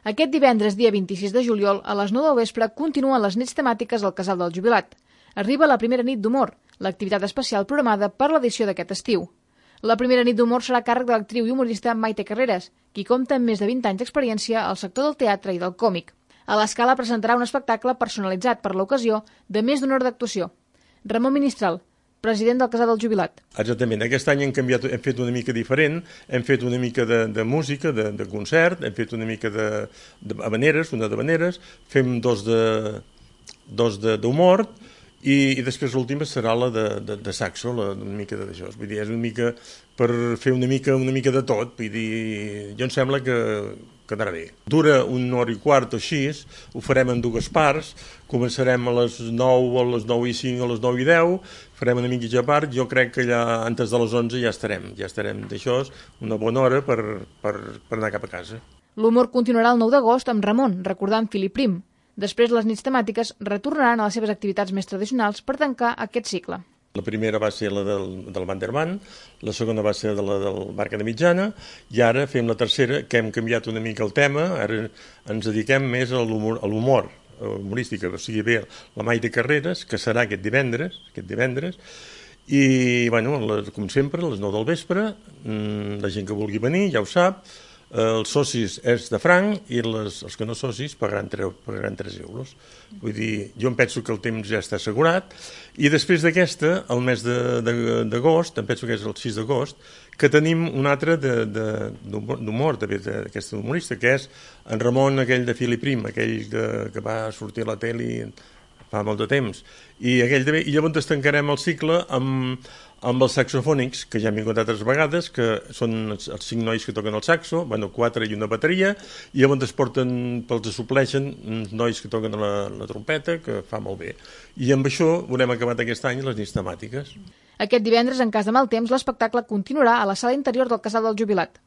Aquest divendres, dia 26 de juliol, a les 9 del vespre, continuen les nits temàtiques al Casal del Jubilat. Arriba la primera nit d'humor, l'activitat especial programada per l'edició d'aquest estiu. La primera nit d'humor serà a càrrec de l'actriu i humorista Maite Carreras, qui compta amb més de 20 anys d'experiència al sector del teatre i del còmic. A l'Escala presentarà un espectacle personalitzat per l'ocasió de més d'una hora d'actuació. Ramon Ministral, president del Casal del Jubilat. Exactament, aquest any hem fet una mica diferent, hem fet una mica de música, de concert, hem fet una mica de habaneres, una d'habaneres, fem dos d'humor i després l'última serà la de saxo, una mica d'això. Vull dir, és una mica per fer una mica de tot, vull dir, jo em sembla que quedarà bé. Dura una hora i quart o així, ho farem en dues parts, començarem a les 9, a les 9 i 5, a les 9 i 10, farem una mitja part, jo crec que ja antes de les 11 ja estarem d'això, una bona hora per anar cap a casa. L'humor continuarà el 9 d'agost amb Ramon, recordant Filip Prim. Després, les nits temàtiques retornaran a les seves activitats més tradicionals per tancar aquest cicle. La primera va ser la del Vanderman, la segona va ser la del Barca de Mitjana, i ara fem la tercera, que hem canviat una mica el tema, ara ens dediquem més a l'humor humorístic, o sigui, bé, la Maite Carreras, que serà aquest divendres, i, bueno, com sempre, a les 9 del vespre, la gent que vulgui venir ja ho sap, els socis és de franc i els que no socis pagaran 3 euros. Vull dir, jo em penso que el temps ja està assegurat i després d'aquesta, el mes d'agost, em penso que és el 6 d'agost, que tenim un altre d'humor, d'aquesta humorista, que és en Ramon, aquell de Filip Prim, aquell que va sortir a la tele fa molt de temps. I llavors es tancarem el cicle amb els saxofònics, que ja hem vingut altres vegades, que són els 5 nois que toquen el saxo, 4 i una bateria, i llavors els supleixen uns nois que toquen la trompeta, que fa molt bé. I amb això haurem acabat aquest any les nits temàtiques. Aquest divendres, en cas de mal temps, l'espectacle continuarà a la sala interior del Casal del Jubilat.